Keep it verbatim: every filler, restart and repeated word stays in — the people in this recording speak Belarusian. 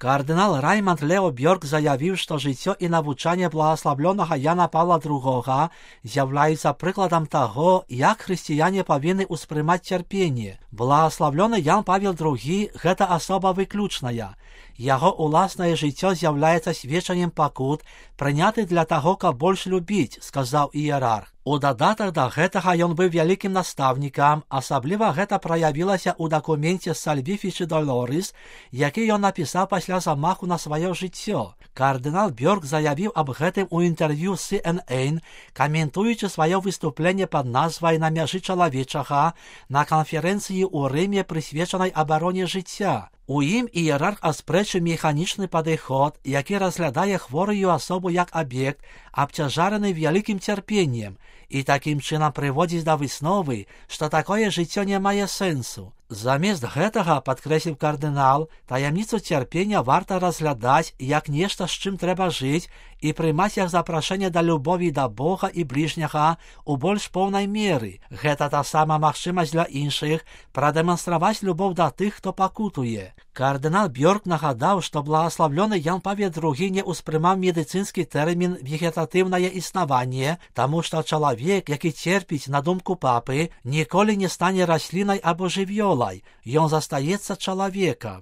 Кардынал Раймонд Лео Бёрк заявіў, што жыццё і навучанне благаславлёнага Яна Павла другога з'яўляюцца прыкладам таго, як хрысціяне павінны ўспрымаць цярпенне. Благаславлёны Ян Павел другі – гэта асоба выключная. Яго уласнае жыццё з'яўляецца сведчаннем пакут, прыняты для таго, каб больш любіць, сказаў іерарх. У дадатак да гэтага ён быў вялікім настаўнікам, асабліва гэта праявілася ў дакуменце Salvifici Doloris, які ён напісаў пасля замаху на сваё жыццё. Кардынал Бёрк заявіў аб гэтым у інтэрв'ю Си Эн Эн, каментуючы сваё выступленне пад назвай «На мяжы чалавечага» на канферэнцыі ў Рыме, прысвечанай абароне жыцця. У ім іерарх аспрэчыў механічны падыход, які разглядае хворую асобу як аб'ект, абцяжараны вялікім цярпеннем, і такім чынам прыводзіць да высновы, што такое жыццё не мае сэнсу. Замест гэтага, падкрэсліў кардынал, таямніцу цярпення варта разглядаць як нешта, з чым трэба жыць, і прымаць як запрашэнне да любові да Бога і бліжняга ў больш поўнай меры. Гэта таксама магчымасць для іншых прадэманстраваць любоў да тых, хто пакутуе. Кардынал Бёрк нагадаў, што благаславлёны Ян Павел другі не ўспрымаў медыцынскі тэрмін «вегетатыўнае існаванне», таму што чалавек, які церпіць, на думку папы, ніколі не стане раслінай або жывёлай, ён застаецца чалавекам.